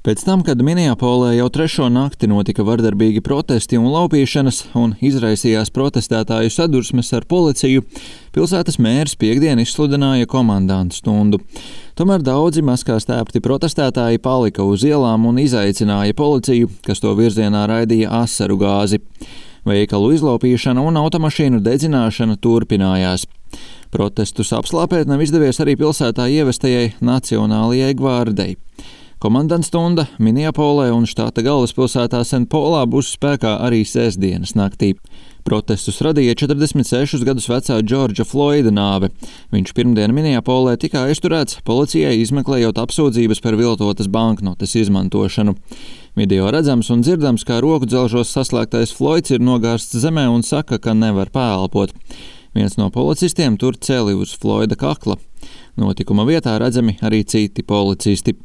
Pēc tam, kad Minneapolē jau 3. nakti notika vardarbīgi protesti un laupīšanas un izraisījās protestētāju sadursmes ar policiju, pilsētas mērs piektdien izsludināja komandantu stundu. Tomēr daudzi maskās tēpti protestētāji palika uz ielām un izaicināja policiju, kas to virzienā raidīja asaru gāzi. Veikalu izlaupīšana un automašīnu dedzināšana turpinājās. Protestus apslāpēt nav izdevies arī pilsētā ievestajai Nacionālajai gvardei. Komandants stunda Minneapolē un štāta galvaspilsētā St. Paulā būs spēkā arī sestdienas naktī. Protestus radīja 46 gadus vecā Džordža Floida nāve. Viņš pirmdien Minneapolē tika aizturēts policijai izmeklējot apsūdzības par viltotas banknotes izmantošanu. Video redzams un dzirdams, kā roku dzelžos saslēgtais Floids ir nogārsts zemē un saka, ka nevar pēlpot. Viens no policistiem tur celi uz Floida kakla. Notikuma vietā redzami arī citi policisti.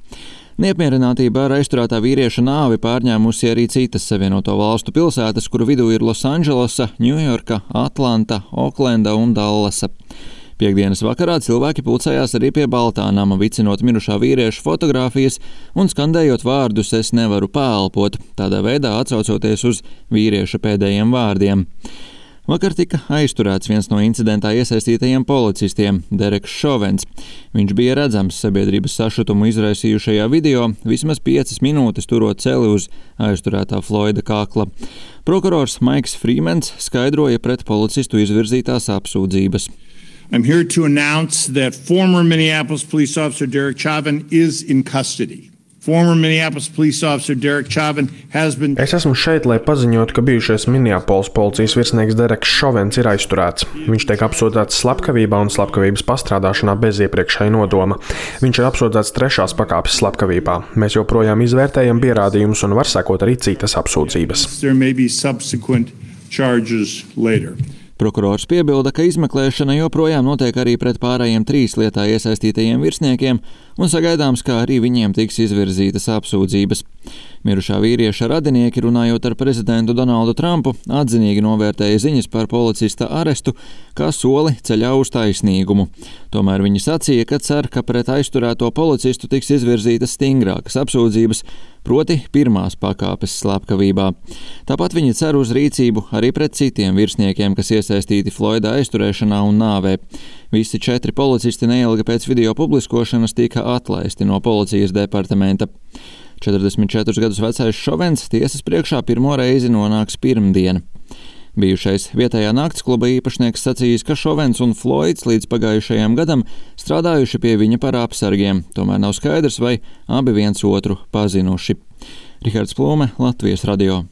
Neapmierinātība ar aizturētā vīrieša nāvi pārņēmusi arī citas Savienoto Valstu pilsētas, kuru vidū ir Losandželosa, Ņujorka, Atlanta, Oklenda un Dallasa. Piektdienas vakarā cilvēki pulcējās arī pie Baltā nama, vicinot mirušā vīrieša fotogrāfijas un skandējot vārdus "es nevaru pēlpot", tādā veidā atsaucoties uz vīrieša pēdējiem vārdiem. Vakar tika aizturēts viens no incidentā iesaistītajiem policistiem, Dereks Šovens. Viņš bija redzams sabiedrības sašutumu izraisījušajā video, vismaz 5 minūtes turot celi uz aizturētā Floida kakla. Prokurors Maiks Frīmens skaidroja pret policistu izvirzītās apsūdzības. I'm here to announce that former Minneapolis police officer Derek Chauvin is in custody. Former Minneapolis police officer Derek Chauvin has been... Es esmu šeit, lai paziņotu, ka bijušais Minneapolis policijas virsnieks Dereks Šovens ir aizturēts. Viņš tiek apsūdzēts slepkavībā un slepkavības pastrādāšanā bez iepriekšēja nodoma. Viņš ir apsūdzēts 3. pakāpes slepkavībā. Mēs joprojām izvērtējam pierādījumus un var sekot arī citas apsūdzības. There may be subsequent charges later. Prokurors piebilda, ka izmeklēšana joprojām notiek arī pret pārējiem 3 lietā iesaistītajiem virsniekiem un sagaidāms, ka arī viņiem tiks izvirzītas apsūdzības. Mirušā vīrieša radinieki, runājot ar prezidentu Donaldu Trumpu, atzinīgi novērtēja ziņas par policista arestu kā soli ceļā uz taisnīgumu. Tomēr viņi sacīja, ka cer, ka pret aizturēto policistu tiks izvirzītas stingrākas apsūdzības, proti 1. pakāpes slepkavībā. Tāpat viņi cer uz rīcību arī pret citiem virsniekiem, kas iesaistīti Floida aizturēšanā un nāvē. Visi 4 policisti neilgi pēc video publiskošanas tika atlaisti no policijas departamenta. 44 gadus vecais Šovens tiesas priekšā pirmo reizi nonāks pirmdien. Bijušais vietējā naktskluba īpašnieks sacījis, ka Šovens un Floids līdz pagājušajam gadam strādājuši pie viņa par apsargiem, tomēr nav skaidrs, vai abi viens otru pazinuši. Rihards Plūme, Latvijas radio.